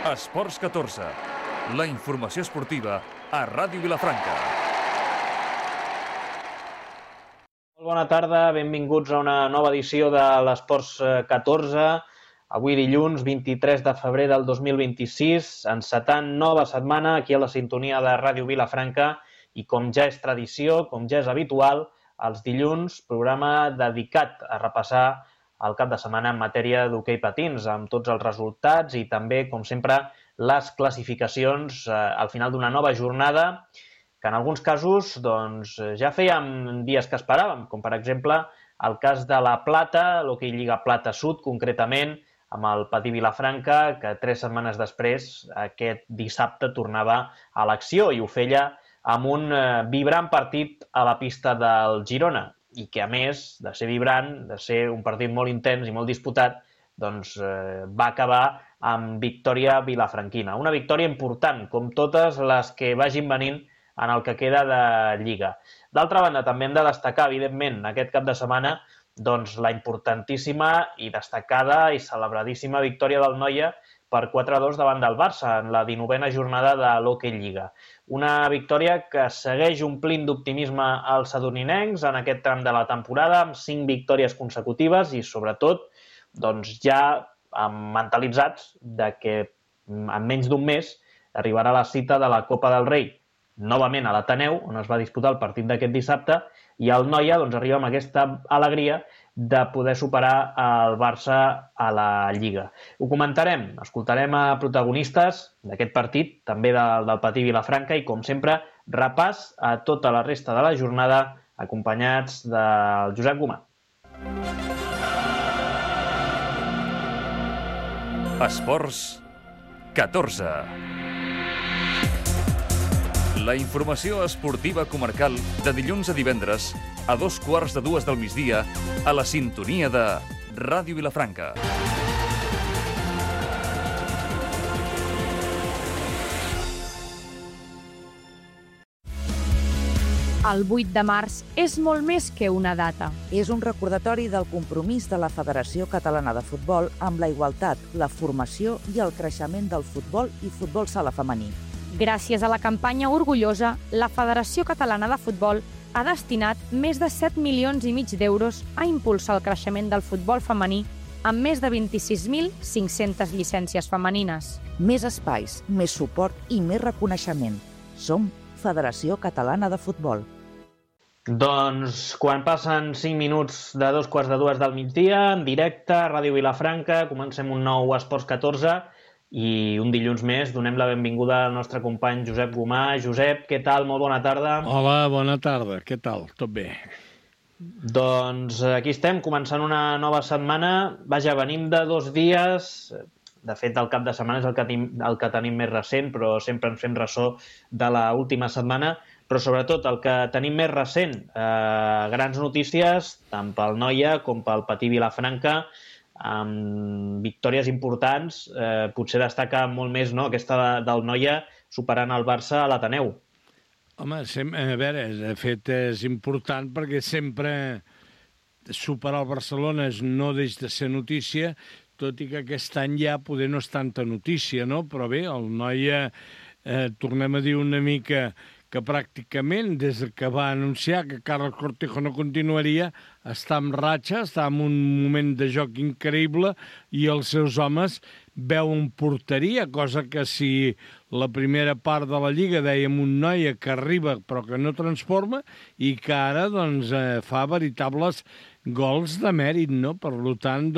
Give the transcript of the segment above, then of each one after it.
Esports 14, la informació esportiva a Ràdio Vilafranca. Molt bona tarda, benvinguts a una nova edició de l'Esports 14. Avui dilluns 23 de febrer del 2026, encetant nova setmana aquí a la sintonia de Ràdio Vilafranca i com ja és tradició, com ja és habitual, els dilluns, programa dedicat a repassar el cap de setmana en matèria d'hoquei patins, amb tots els resultats i també, com sempre, les classificacions al final d'una nova jornada que en alguns casos ja fèiem dies que esperàvem, com per exemple el cas de la Plata, l'hoquei Lliga Plata Sud, concretament, amb el Patí Vilafranca, que 3 setmanes després, aquest dissabte, tornava a l'acció i ho feia amb un vibrant partit a la pista del Girona i que, a més de ser vibrant, de ser un partit molt intens i molt disputat, va acabar amb victòria vilafranquina. Una victòria important, com totes les que vagin venint en el que queda de Lliga. D'altra banda, també hem de destacar, evidentment, aquest cap de setmana, la importantíssima i destacada i celebradíssima victòria del Noia per 4-2 davant del Barça en la 19a jornada de l'Hockey Lliga. Una victòria que segueix omplint d'optimisme els sadoninencs en aquest tram de la temporada, amb 5 victòries consecutives i, sobretot, ja mentalitzats que en menys d'un mes arribarà la cita de la Copa del Rei, novament a l'Ateneu, on es va disputar el partit d'aquest dissabte, i el Noia arriba amb aquesta alegria de poder superar el Barça a la Lliga. Ho comentarem, escoltarem a protagonistes d'aquest partit, també del Patí Vilafranca, i com sempre, repàs a tota la resta de la jornada, acompanyats del Josep Gomà. Esports 14. La informació esportiva comarcal de dilluns a divendres a 2:15 del migdia a la sintonia de Ràdio Vilafranca. El 8 de març és molt més que una data. És un recordatori del compromís de la Federació Catalana de Futbol amb la igualtat, la formació i el creixement del futbol i futbol sala femení. Gràcies a la campanya Orgullosa, la Federació Catalana de Futbol ha destinat més de 7,5 milions d'euros a impulsar el creixement del futbol femení amb més de 26.500 llicències femenines. Més espais, més suport i més reconeixement. Som Federació Catalana de Futbol. Quan passen 5 minuts de 2:15 del migdia, en directe a Ràdio Vilafranca, comencem un nou Esports 14 i un dilluns més donem la benvinguda al nostre company Josep Gomà. Josep, què tal? Molt bona tarda. Hola, bona tarda. Què tal? Tot bé? Aquí estem, començant una nova setmana. Vaja, venim de 2 dies. De fet, el cap de setmana és el que tenim més recent, però sempre ens fem ressò de l'última setmana. Però sobretot el que tenim més recent, grans notícies, tant pel Noia com pel Patí Vilafranca, amb victòries importants, potser destaca molt més aquesta del Noia superant el Barça a l'Ateneu. Home, a veure, de fet és important perquè sempre superar el Barcelona no deixa de ser notícia, tot i que aquest any ja poder no és tanta notícia, no? Però bé, el Noia, tornem a dir una mica que pràcticament, des que va anunciar que Carlos Cortijo no continuaria, està en ratxa, està en un moment de joc increïble i els seus homes veuen porteria, cosa que si la primera part de la Lliga dèiem un Noia que arriba però que no transforma i que ara fa veritables gols de mèrit, no? Per tant,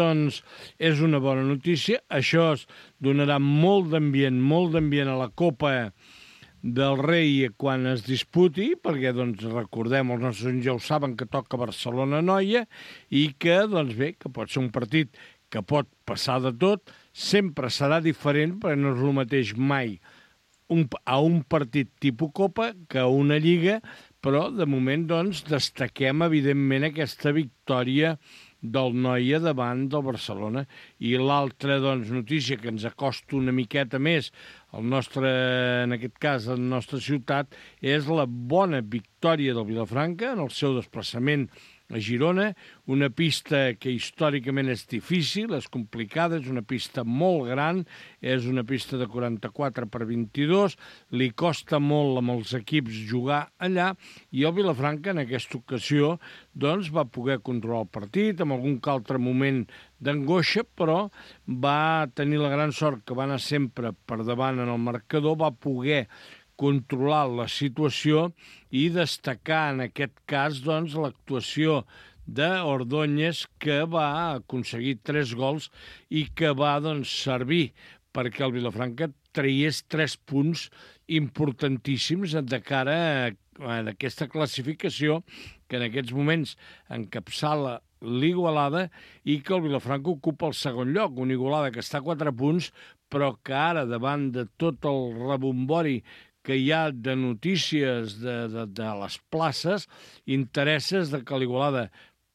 és una bona notícia. Això donarà molt d'ambient a la Copa del Rei quan es disputi, perquè, recordem, els nostres ja ho saben, que toca Barcelona-Noia i que, bé, que pot ser un partit que pot passar de tot, sempre serà diferent, perquè no és el mateix mai a un partit tipus Copa que a una Lliga, però, de moment, destaquem, evidentment, aquesta victòria del Noia davant del Barcelona. I l'altra notícia que ens acosta una miqueta més en aquest cas, a la nostra ciutat, és la bona victòria del Vilafranca en el seu desplaçament a Girona, una pista que històricament és difícil, és complicada, és una pista molt gran, és una pista de 44x22, li costa molt amb els equips jugar allà, i el Vilafranca en aquesta ocasió doncs, va poder controlar el partit, amb algun altre moment d'angoixa, però va tenir la gran sort que va anar sempre per davant en el marcador, va poder controlar la situació i destacar en aquest cas doncs, l'actuació d'Ordóñez, que va aconseguir 3 gols i que va doncs, servir perquè el Vilafranca traiés 3 punts importantíssims de cara a aquesta classificació que en aquests moments encapçala l'Igualada i que el Vilafranca ocupa el segon lloc, una Igualada que està a 4 punts, però que ara, davant de tot el rebombori que hi ha de notícies de les places, interesses de que l'Igualada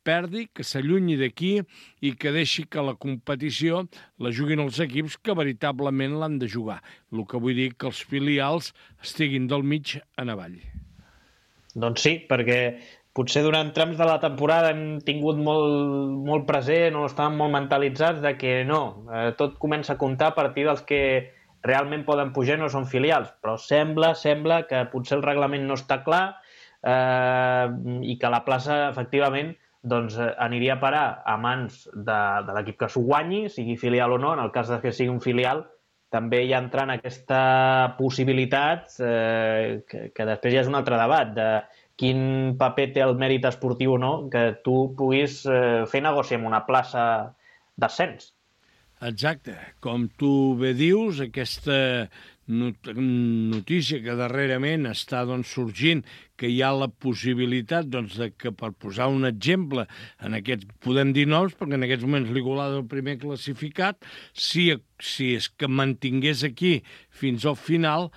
perdi, que s'allunyi d'aquí i que deixi que la competició la juguin els equips que veritablement l'han de jugar. El que vull dir que els filials estiguin del mig en avall. Doncs sí, perquè potser durant trams de la temporada hem tingut molt present o estàvem molt mentalitzats de que no, tot comença a comptar a partir dels que realment poden pujar no són filials, però sembla que potser el reglament no està clar i que la plaça, efectivament, doncs, aniria a parar a mans de l'equip que s'ho guanyi, sigui filial o no. En el cas que sigui un filial, també hi entra en aquesta possibilitat que després ja és un altre debat, de quin paper té el mèrit esportiu o no, que tu puguis fer negoci amb una plaça d'ascens. Exacte. Com tu bé dius, aquesta notícia que darrerament està doncs, sorgint, que hi ha la possibilitat doncs, de que, per posar un exemple, en aquests, podem dir noms, perquè en aquests moments l'Igualada el primer classificat, si és que mantingués aquí fins al final,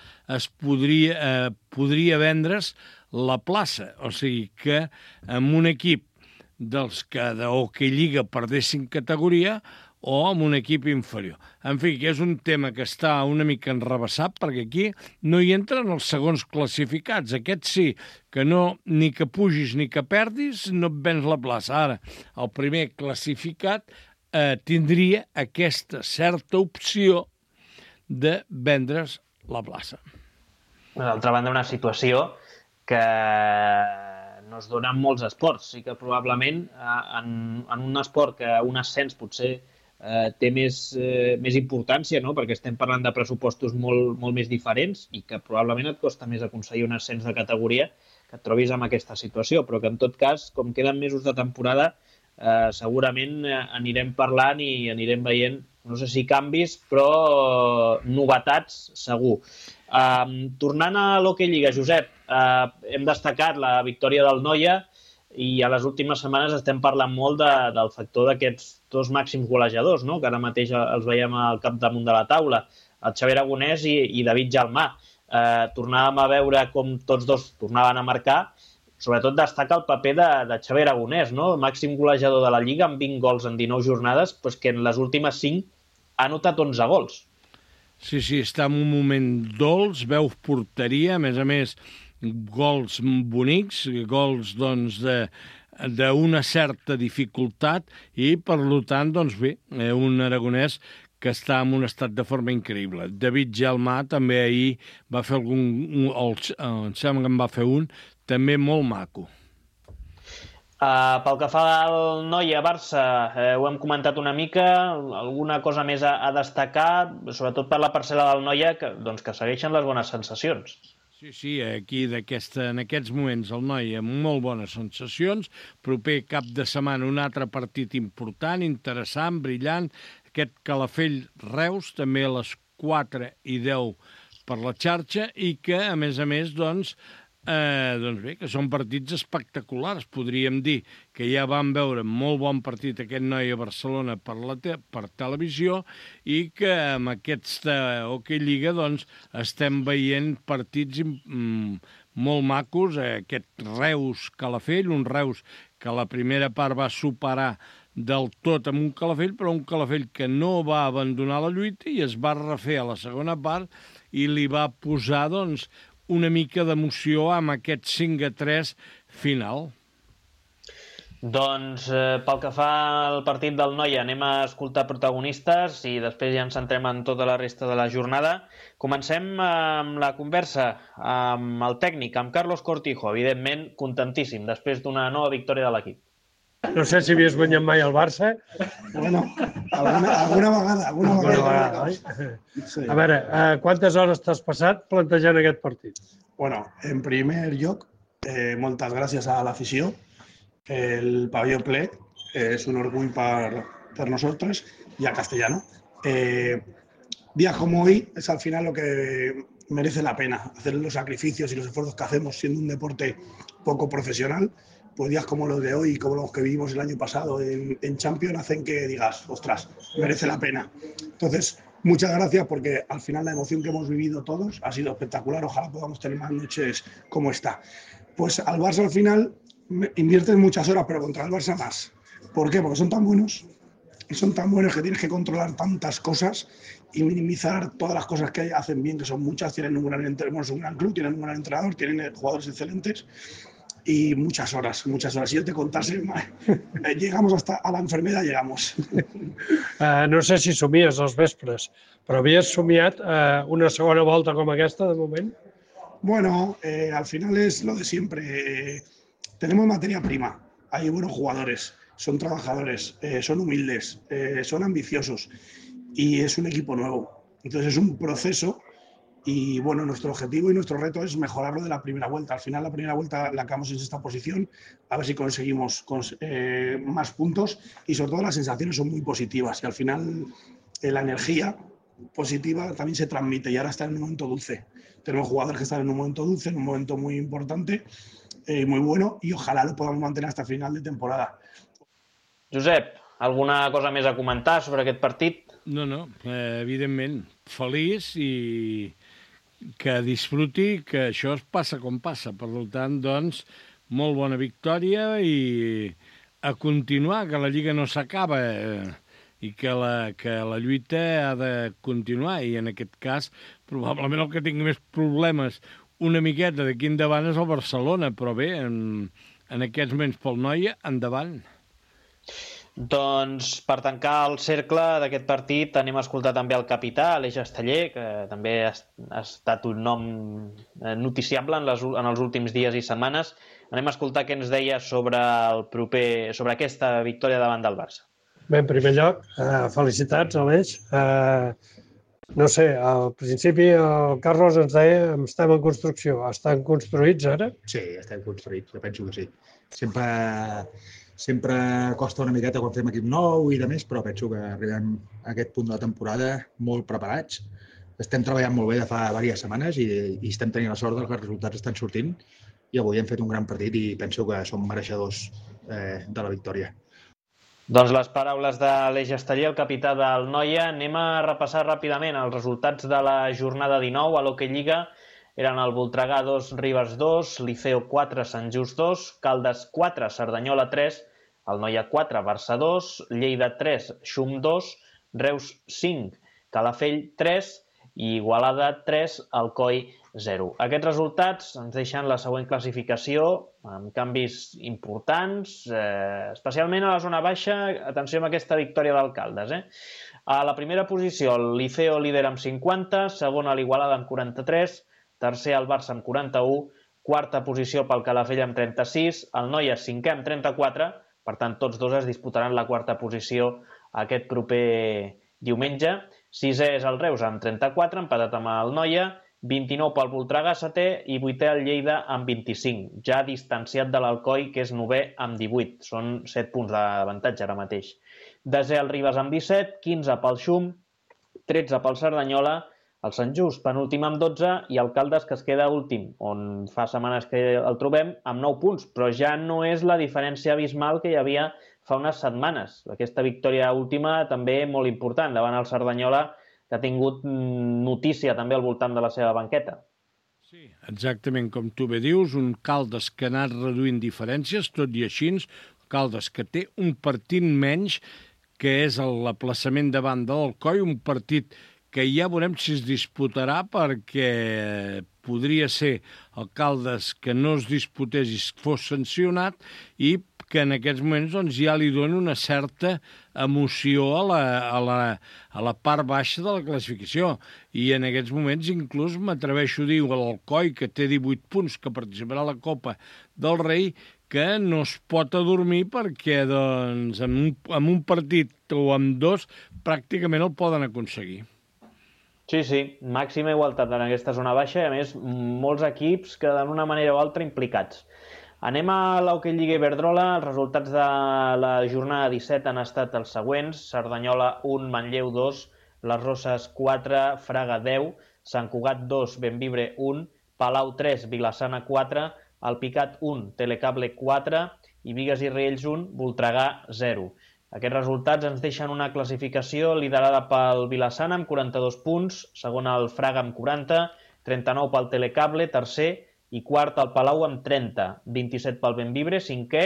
podria vendre's la plaça. O sigui que amb un equip dels que d'hoquei lliga perdessin categoria, o amb un equip inferior. En fi, que és un tema que està una mica enrevessat, perquè aquí no hi entren els segons classificats. Aquest sí, que no, ni que pugis ni que perdis, no et vens la plaça. Ara, el primer classificat tindria aquesta certa opció de vendre's la plaça. D'altra banda, una situació que no es dona en molts esports. Sí que probablement en un esport que un ascens potser té més importància, no? Perquè estem parlant de pressupostos molt més diferents i que probablement et costa més aconseguir un ascens de categoria que et trobis amb aquesta situació, però que en tot cas, com queden mesos de temporada, segurament anirem parlant i anirem veient, no sé si canvis, però novetats segur. Tornant a l'Hockey Lliga, Josep, hem destacat la victòria del Noia i a les últimes setmanes estem parlant molt del factor d'aquests 2 màxims golejadors, no? Que ara mateix els veiem al capdamunt de la taula, el Xavi Aragonès i David Jalmà. Tornàvem a veure com tots dos tornaven a marcar. Sobretot destaca el paper de Xavi Aragonès, no? El màxim golejador de la Lliga, amb 20 gols en 19 jornades, doncs que en les últimes 5 ha anotat 11 gols. Sí, està en un moment dolç, veu porteria, a més, gols bonics, gols doncs, d'una certa dificultat i, per tant, doncs bé, un aragonès que està en un estat de forma increïble. David Jalmà també ahir va fer em sembla que en va fer un, també molt maco. Pel que fa al Noia-Barça, ho hem comentat una mica, alguna cosa més a destacar, sobretot per la parcel·la del Noia, que segueixen les bones sensacions. Sí, aquí en aquests moments el Noia amb molt bones sensacions, proper cap de setmana un altre partit important, interessant, brillant, aquest Calafell-Reus, també a les 4:10 per la xarxa, i que, a més, doncs bé, que són partits espectaculars. Podríem dir que ja vam veure molt bon partit aquest Noia-Barcelona per televisió i que amb aquesta Hockey Lliga doncs, estem veient partits molt macos. Aquest Reus-Calafell, un Reus que la primera part va superar del tot amb un Calafell, però un Calafell que no va abandonar la lluita i es va refer a la segona part i li va posar, doncs, una mica d'emoció amb aquest 5-3 final. Doncs pel que fa al partit del Noia, anem a escoltar protagonistes i després ja ens centrem en tota la resta de la jornada. Comencem amb la conversa amb el tècnic, amb Carlos Cortijo, evidentment contentíssim després d'una nova victòria de l'equip. No sé si havies guanyat mai el Barça. Bueno, alguna vegada, oi? Sí. A veure, quantes hores t'has passat plantejant aquest partit? Bueno, en primer lloc, moltes gràcies a l'afició. El pabelló ple es un orgullo para nosotros y a Castellano. Días como hoy es al final lo que merece la pena, hacer los sacrificios y los esfuerzos que hacemos siendo un deporte poco profesional. Pues días como los de hoy, como los que vivimos el año pasado en Champions, hacen que digas, ostras, merece la pena. Entonces, muchas gracias porque al final la emoción que hemos vivido todos ha sido espectacular. Ojalá podamos tener más noches como esta. Pues al Barça al final inviertes muchas horas, pero contra el Barça más. ¿Por qué? Porque son tan buenos que tienes que controlar tantas cosas y minimizar todas las cosas que hacen bien, que son muchas. Tienen un gran club, tienen un gran entrenador, tienen jugadores excelentes. Y muchas horas. Si yo te contase, llegamos hasta a la enfermedad, llegamos. No sé si somies els vespres, però havies somiat una segona volta com aquesta, de moment? Bueno, al final es lo de siempre. Tenemos materia prima, hay buenos jugadores, son trabajadores, son humildes, son ambiciosos y es un equipo nuevo. Entonces es un proceso. Y bueno, nuestro objetivo y nuestro reto es mejorarlo de la primera vuelta. Al final, la primera vuelta la acabamos en esta posición, a ver si conseguimos más puntos y sobre todo las sensaciones son muy positivas y al final la energía positiva también se transmite y ahora está en un momento dulce. Tenemos jugadores que están en un momento dulce, en un momento muy importante, muy bueno y ojalá lo podamos mantener hasta final de temporada. Josep, alguna cosa més a comentar sobre aquest partit? No, evidentment, feliç i que disfruti, que això es passa com passa. Per tant, doncs, molt bona victòria i a continuar, que la Lliga no s'acaba i que la lluita ha de continuar. I en aquest cas, probablement el que tingui més problemes una miqueta d'aquí endavant és el Barcelona, però bé, en aquests moments pel Noia, endavant. Doncs per tancar el cercle d'aquest partit anem a escoltar també el capità, Aleix Esteller, que també ha estat un nom noticiable en els últims dies i setmanes. Anem a escoltar què ens deia sobre aquesta victòria davant del Barça. Bé, en primer lloc, felicitats, Aleix. No sé, al principi el Carlos ens deia que estem en construcció. Estan construïts ara? Sí, estem construïts, jo penso que sí. Sempre costa una miqueta quan fem equip nou i de més, però penso que arribem a aquest punt de la temporada molt preparats. Estem treballant molt bé de fa diverses setmanes i estem tenint la sort que els resultats estan sortint i avui hem fet un gran partit i penso que som mereixedors de la victòria. Doncs les paraules de l'Aleix Esteller, el capità del Noia. Anem a repassar ràpidament els resultats de la jornada 19 a l'Hockey Lliga. Eren el Voltregà 2, Ribes 2, Liceo 4, Sant Just 2, Caldes 4, Cerdanyola 3, el Noia 4, Barça 2, Lleida 3, Xum 2, Reus 5, Calafell 3 i Igualada 3, Alcoi 0. Aquests resultats ens deixen la següent classificació amb canvis importants, especialment a la zona baixa. Atenció amb aquesta victòria d'Alcaldes. A la primera posició el Liceo líder amb 50, segona l'Igualada amb 43, tercer el Barça amb 41, quarta posició pel Calafell amb 36, el Noia cinquè amb 34, per tant tots dos es disputaran la quarta posició aquest proper diumenge. Sisè és el Reus amb 34, empatat amb el Noia, 29 pel Voltregà, setè, i vuitè el Lleida amb 25, ja distanciat de l'Alcoi, que és novè amb 18. Són 7 punts d'avantatge ara mateix. Desè el Ribes amb 17, 15 pel Xum, 13 pel Cerdanyola, el Sant Just penúltim amb 12 i el Caldes que es queda últim, on fa setmanes que el trobem, amb 9 punts, però ja no és la diferència abismal que hi havia fa unes setmanes. Aquesta victòria última també molt important davant el Cerdanyola, que ha tingut notícia també al voltant de la seva banqueta. Sí, exactament com tu bé dius, un Caldes que ha anat reduint diferències, tot i així, Caldes que té un partit menys, que és l'aplaçament davant de l'Alcoi, un partit que ja veurem si es disputarà, perquè podria ser el Caldes que no es disputés i fos sancionat, i que en aquests moments doncs, ja li dona una certa emoció a la part baixa de la classificació. I en aquests moments inclús m'atreveixo a dir a l'Alcoi, que té 18 punts, que participarà a la Copa del Rei, que no es pot adormir perquè doncs, amb un partit o amb dos pràcticament el poden aconseguir. Sí, màxima igualtat en aquesta zona baixa i, a més, molts equips que d'una manera o altra implicats. Anem a l'Hockey Lliga Iberdrola. Els resultats de la jornada 17 han estat els següents: Cerdanyola 1, Manlleu 2, Les Roses 4, Fraga 10, Sant Cugat 2, Bembibre 1, Palau 3, Vilassana 4, Alpicat 1, Telecable 4 i Bigues i Riells 1, Voltregà 0. Aquests resultats ens deixen una classificació liderada pel Vilassana amb 42 punts, segon el Fraga amb 40, 39 pel Telecable, tercer, i quart el Palau amb 30, 27 pel Bembibre, cinquè,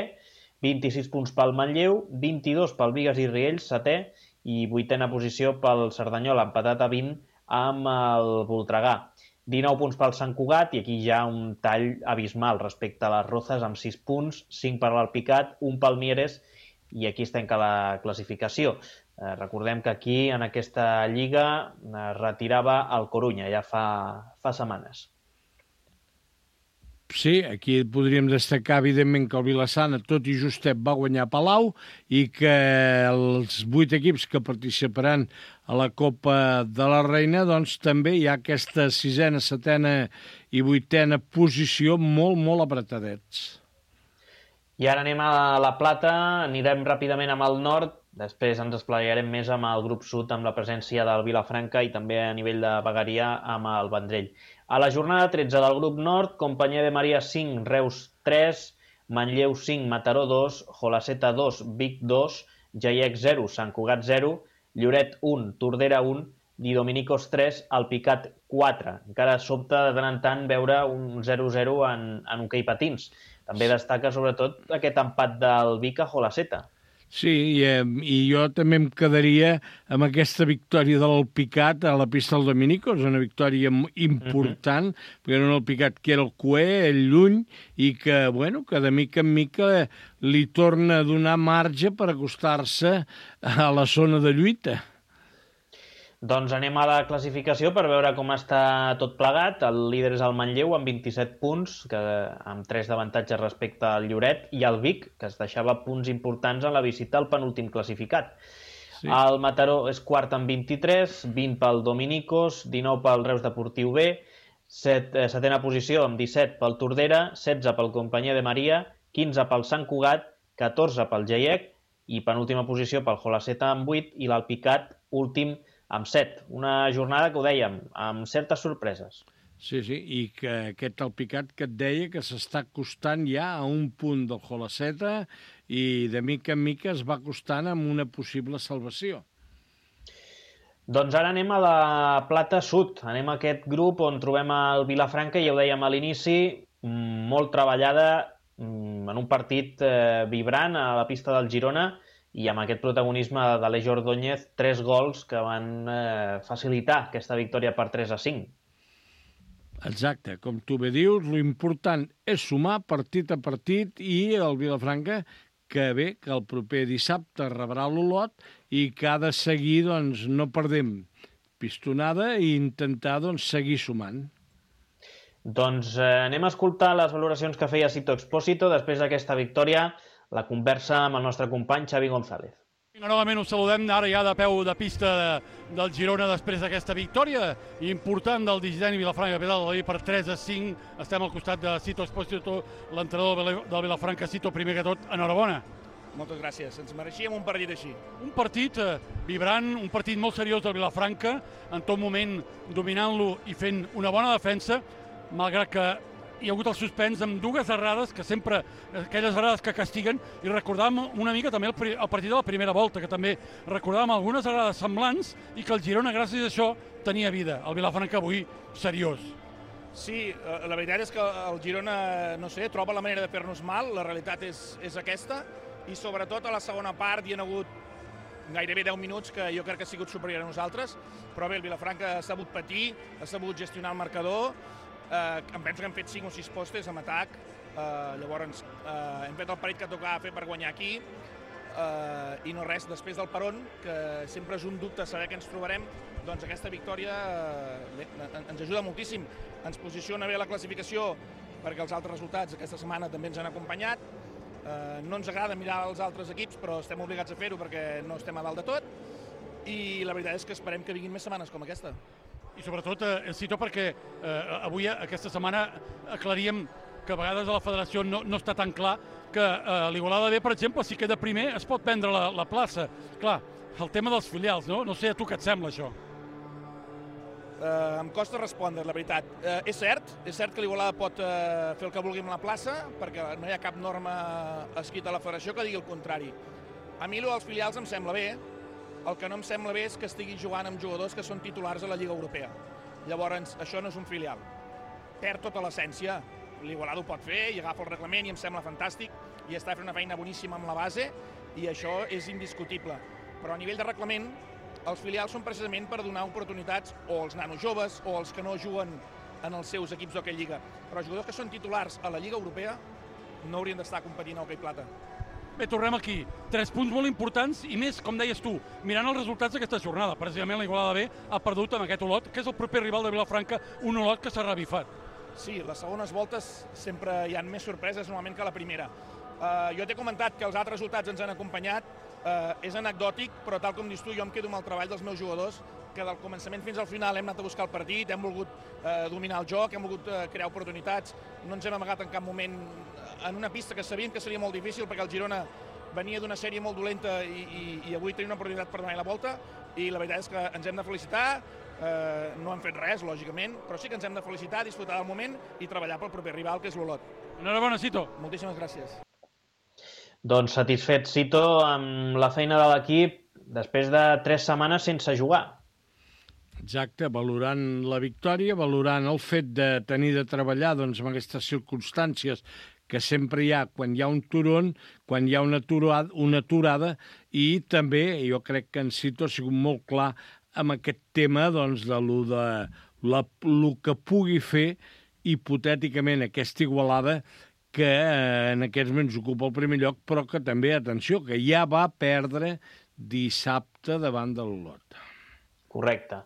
26 punts pel Manlleu, 22 pel Bigues i Riells, setè, i vuitena posició pel Cerdanyola, empatat a 20 amb el Voltregà. 19 punts pel Sant Cugat, i aquí ja un tall abismal respecte a les Rozas amb 6 punts, 5 per l'Alpicat, 1 pel Mieres, i aquí es tanca la classificació. Recordem que aquí, en aquesta lliga, es retirava el Corunya ja fa setmanes. Sí, aquí podríem destacar, evidentment, que el Vilassana, tot i justet, va guanyar Palau i que els 8 equips que participaran a la Copa de la Reina, doncs també hi ha aquesta 6ª, 7ª i 8ª posició molt apretadets. I ara anem a la Plata, anirem ràpidament amb el nord, després ens esplaiarem més amb el grup sud, amb la presència del Vilafranca i també a nivell de vegueria amb el Vendrell. A la jornada 13 del grup nord, Companyia de Maria 5, Reus 3, Manlleu 5, Mataró 2, Jolaseta 2, Vic 2, Jaiec 0, Sant Cugat 0, Lloret 1, Tordera 1, i Dominicos 3, Alpicat 4. Encara sobta de tant en tant veure un 0-0 en hoquei patins. També destaca sobretot aquest empat del Vic a Jolaseta. Sí, i jo també em quedaria amb aquesta victòria de l'Alpicat a la pista del Dominicos, una victòria important, perquè era un Alpicat que era el cuer, el lluny, i que, bueno, que de mica en mica li torna a donar marge per acostar-se a la zona de lluita. Doncs anem a la classificació per veure com està tot plegat. El líder és el Manlleu amb 27 punts, amb 3 d'avantatge respecte al Lloret, i el Vic, que es deixava punts importants en la visita al penúltim classificat. Sí. El Mataró és quart amb 23, 20 pel Dominicos, 19 pel Reus Deportiu B, setena posició amb 17 pel Tordera, 16 pel Companyia de Maria, 15 pel Sant Cugat, 14 pel Jaiec i penúltima posició pel Jolaseta amb 8 i l'Alpicat últim amb 7. Una jornada que ho dèiem, amb certes sorpreses. Sí, i que aquest Alpicat que et deia que s'està acostant ja a un punt del Jolaseta i de mica en mica es va acostant amb una possible salvació. Doncs ara anem a la Plata Sud. Anem a aquest grup on trobem el Vilafranca, ja ho dèiem a l'inici, molt treballada en un partit vibrant a la pista del Girona, i amb aquest protagonisme d'Aleix Ordóñez, 3 gols que van facilitar aquesta victòria per 3-5. Exacte, com tu bé dius, l'important és sumar partit a partit i el Vilafranca, que bé, que el proper dissabte rebrà l'Olot i que ha de seguir, doncs, no perdem pistonada i intentar, doncs, seguir sumant. Doncs anem a escoltar les valoracions que feia Sito Expósito després d'aquesta victòria, la conversa amb el nostre company Xavi González. Novament us saludem ara ja de peu de pista del Girona després d'aquesta victòria important del Digidani Vilafranca per 3-5. Estem al costat de Sito Expósito, l'entrenador del Vilafranca. Sito, primer que tot, enhorabona. Moltes gràcies, ens mereixíem un partit així. Un partit vibrant, un partit molt seriós del Vilafranca, en tot moment dominant-lo i fent una bona defensa, malgrat que hi ha hagut el suspens amb 2 errades, que sempre, aquelles errades que castiguen, i recordàvem una mica també el partit de la primera volta, que també recordàvem algunes errades semblants i que el Girona, gràcies a això, tenia vida. El Vilafranca avui, seriós. Sí, la veritat és que el Girona, no sé, troba la manera de fer-nos mal, la realitat és aquesta, i sobretot a la segona part hi ha hagut gairebé 10 minuts que jo crec que ha sigut superior a nosaltres, però bé, el Vilafranca ha sabut patir, ha sabut gestionar el marcador, em penso que hem fet 5 o 6 postes amb atac, llavors hem fet el parit que tocava fer per guanyar aquí, i no res, després del peron, que sempre és un dubte saber què ens trobarem, doncs aquesta victòria ens ajuda moltíssim, ens posiciona bé a la classificació perquè els altres resultats aquesta setmana també ens han acompanyat. No ens agrada mirar els altres equips, però estem obligats a fer-ho perquè no estem a dalt de tot i la veritat és que esperem que vinguin més setmanes com aquesta. I sobretot, Cito, perquè avui, aquesta setmana, aclaríem que a vegades a la federació no està tan clar que l'Igualada B, per exemple, si queda primer, es pot prendre la plaça. Clar, el tema dels filials, no? No sé a tu què et sembla, això. Em costa respondre, la veritat. És cert que l'Igualada pot fer el que vulgui amb la plaça, perquè no hi ha cap norma escrita a la federació que digui el contrari. A mi els filials em sembla bé, el que no em sembla bé és que estigui jugant amb jugadors que són titulars a la Lliga Europea. Llavors, això no és un filial. Perd tota l'essència. L'Igualada ho pot fer i agafa el reglament i em sembla fantàstic i està fent una feina boníssima amb la base i això és indiscutible. Però a nivell de reglament, els filials són precisament per donar oportunitats o als nanos joves o als que no juguen en els seus equips d'hoquei lliga. Però els jugadors que són titulars a la Lliga Europea no haurien d'estar competint a hoquei plata. Bé, tornem aquí. 3 punts molt importants i més, com deies tu, mirant els resultats d'aquesta jornada. Precisament la Igualada B ha perdut amb aquest Olot, que és el proper rival de Vilafranca, un Olot que s'ha revifat. Sí, les segones voltes sempre hi ha més sorpreses normalment que la primera. Jo t'he comentat que els altres resultats ens han acompanyat, és anecdòtic, però tal com dius tu, jo em quedo amb el treball dels meus jugadors, que del començament fins al final hem anat a buscar el partit, hem volgut dominar el joc, hem volgut crear oportunitats, no ens hem amagat en cap moment en una pista que sabíem que seria molt difícil perquè el Girona venia d'una sèrie molt dolenta i avui tenim una oportunitat per donar la volta i la veritat és que ens hem de felicitar, no hem fet res, lògicament, però sí que ens hem de felicitar, disfrutar del moment i treballar pel proper rival, que és l'Olot. Enhorabona, Cito. Moltíssimes gràcies. Doncs satisfet, Cito, amb la feina de l'equip després de 3 setmanes sense jugar. Exacte, valorant la victòria, valorant el fet de tenir de treballar doncs, en aquestes circumstàncies que sempre hi ha quan hi ha un turon, quan hi ha una aturada, i també jo crec que en Cito ha sigut molt clar amb aquest tema doncs, de lo que pugui fer hipotèticament aquesta Igualada que en aquests moments ocupa el primer lloc, però que també, atenció, que ja va perdre dissabte davant de l'Olot. Correcte.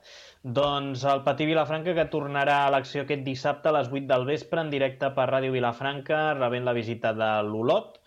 Doncs el Patí Vilafranca, que tornarà a l'acció aquest dissabte a les 8 del vespre en directe per Ràdio Vilafranca, rebent la visita de l'Olot,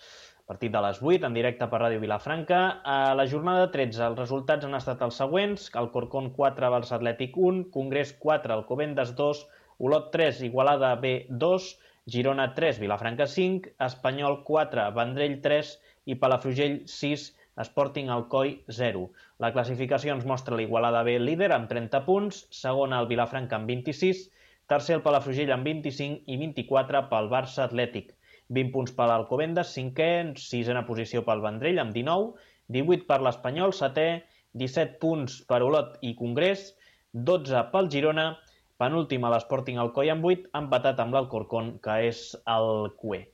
partit de les 8 en directe per Ràdio Vilafranca. A la jornada 13 els resultats han estat els següents: Alcorcón 4, Barça Atlètic 1, Congrés 4, Alcobendas 2, Olot 3, Igualada B 2, Girona 3, Vilafranca 5, Espanyol 4, Vendrell 3 i Palafrugell 6, Sporting Alcoi 0. La classificació ens mostra l'Igualada B líder amb 30 punts, segona el Vilafranca amb 26, tercer el Palafrugell amb 25 i 24 pel Barça Atlètic. 20 punts per l'Alcobendas, cinquè, sisena posició pel Vendrell amb 19, 18 per l'Espanyol, setè, 17 punts per Olot i Congrés, 12 pel Girona, penúltim a l'Sporting Alcoi amb 8, empatat amb l'Alcorcón, que és el cué.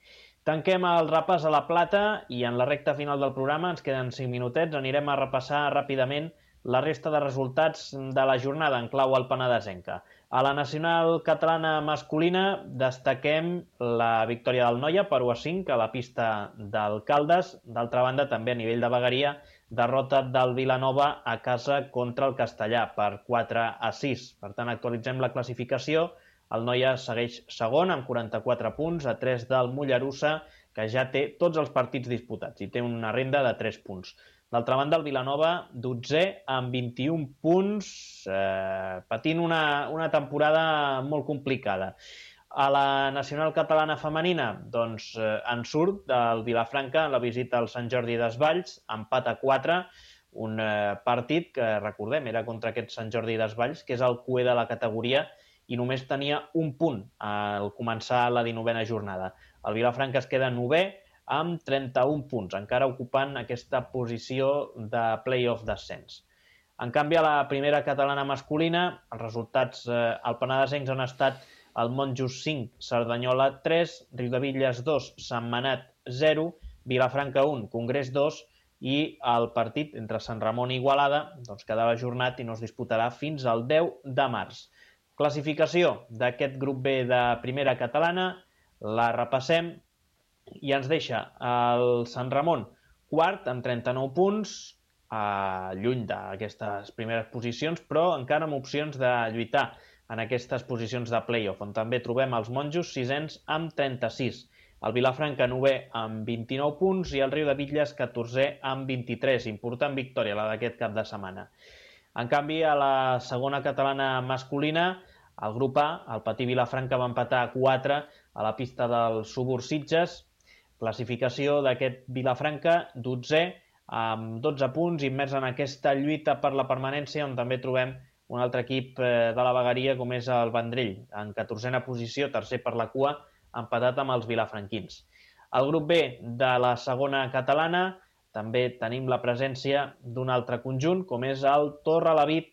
Tanquem el repàs a la plata i en la recta final del programa, ens queden 5 minutets, anirem a repassar ràpidament la resta de resultats de la jornada en clau alpenadesenca. A la nacional catalana masculina destaquem la victòria del Noia per 1-5 a la pista del Caldes. D'altra banda, també a nivell de vegueria, derrota del Vilanova a casa contra el Castellà per 4-6. Per tant, actualitzem la classificació. El Noia segueix segon amb 44 punts, a 3 del Mollerussa, que ja té tots els partits disputats i té una renda de 3 punts. D'altra banda, el Vilanova, 12è, amb 21 punts, patint una temporada molt complicada. A la nacional catalana femenina, doncs, en surt del Vilafranca la visita al Sant Jordi Desvalls, empat a 4, un partit que, recordem, era contra aquest Sant Jordi Desvalls, que és el cué de la categoria, i només tenia un punt al començar la 19a jornada. El Vilafranca es queda 9è amb 31 punts, encara ocupant aquesta posició de play-off d'ascens. En canvi, a la primera catalana masculina, els resultats alpenadesencs han estat el Monjos 5, Cerdanyola 3, Riudebitlles 2, Sentmenat 0, Vilafranca 1, Congrés 2 i el partit entre Sant Ramon i Igualada quedava ajornat i no es disputarà fins al 10 de març. Classificació d'aquest grup B de primera catalana, la repassem i ens deixa el Sant Ramon quart amb 39 punts, lluny d'aquestes primeres posicions, però encara amb opcions de lluitar en aquestes posicions de play-off, on també trobem els monjos sisens amb 36, el Vilafranca 9è amb 29 punts i el Riu de Bitlles 14è amb 23. Important victòria la d'aquest cap de setmana. En canvi, a la segona catalana masculina, el grup A, el Patí Vilafranca, va empatar a 4 a la pista del Subur Sitges. Classificació d'aquest Vilafranca, 12è, amb 12 punts, immers en aquesta lluita per la permanència, on també trobem un altre equip de la vegueria, com és el Vendrell, en 14a posició, tercer per la cua, empatat amb els vilafranquins. Al grup B de la segona catalana també tenim la presència d'un altre conjunt, com és el Torrelavit,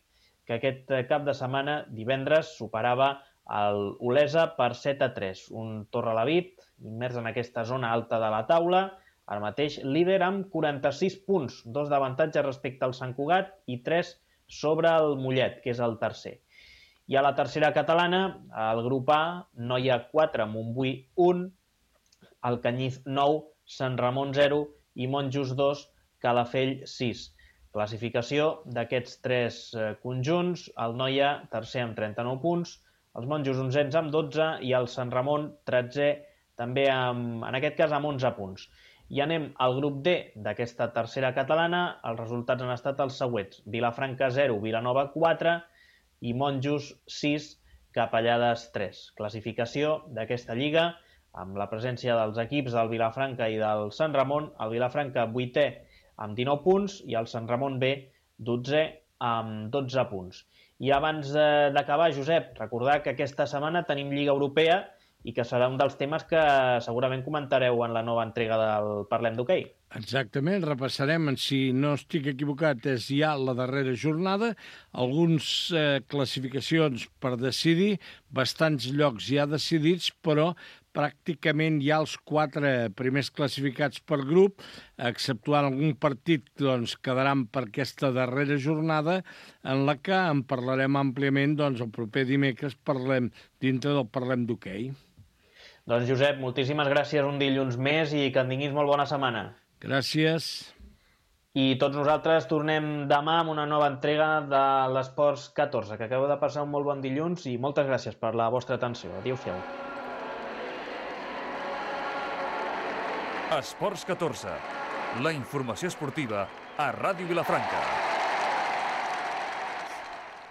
que aquest cap de setmana, divendres, superava el Olesa per 7-3. Un Torrelavit immers en aquesta zona alta de la taula, ara mateix líder amb 46 punts, 2 d'avantatge respecte al Sant Cugat i 3 sobre el Mollet, que és el tercer. I a la tercera catalana, el grup A, Noia 4, Montbui 1, Alcanyiz 9, Sant Ramon 0 i Monjos 2, Calafell 6. Classificació d'aquests tres conjunts, el Noia tercer amb 39 punts, els Monjos 11 amb 12 i el Sant Ramon 13è també en aquest cas amb 11 punts. I anem al grup D d'aquesta tercera catalana. Els resultats han estat els següents: Vilafranca 0, Vilanova 4 i Monjos 6, Capellades 3. Classificació d'aquesta lliga amb la presència dels equips del Vilafranca i del Sant Ramon. El Vilafranca 8è amb 19 punts i el Sant Ramon B 12è amb 12 punts. I abans d'acabar, Josep, recordar que aquesta setmana tenim Lliga Europea i que serà un dels temes que segurament comentareu en la nova entrega del Parlem d'Hoquei. Exactament, repassarem, si no estic equivocat, és ja la darrera jornada, algunes classificacions per decidir, bastants llocs ja decidits, però pràcticament ja els 4 primers classificats per grup, exceptuant algun partit, quedaran per aquesta darrera jornada, en la que en parlarem àmpliament el proper dimecres dintre del Parlem d'Hoquei. Doncs, Josep, moltíssimes gràcies un dilluns més i que en tinguis molt bona setmana. Gràcies. I tots nosaltres tornem demà amb una nova entrega de l'Esports 14, que acabeu de passar un molt bon dilluns i moltes gràcies per la vostra atenció. Adéu-siau. Esports 14, la informació esportiva a Ràdio Vilafranca.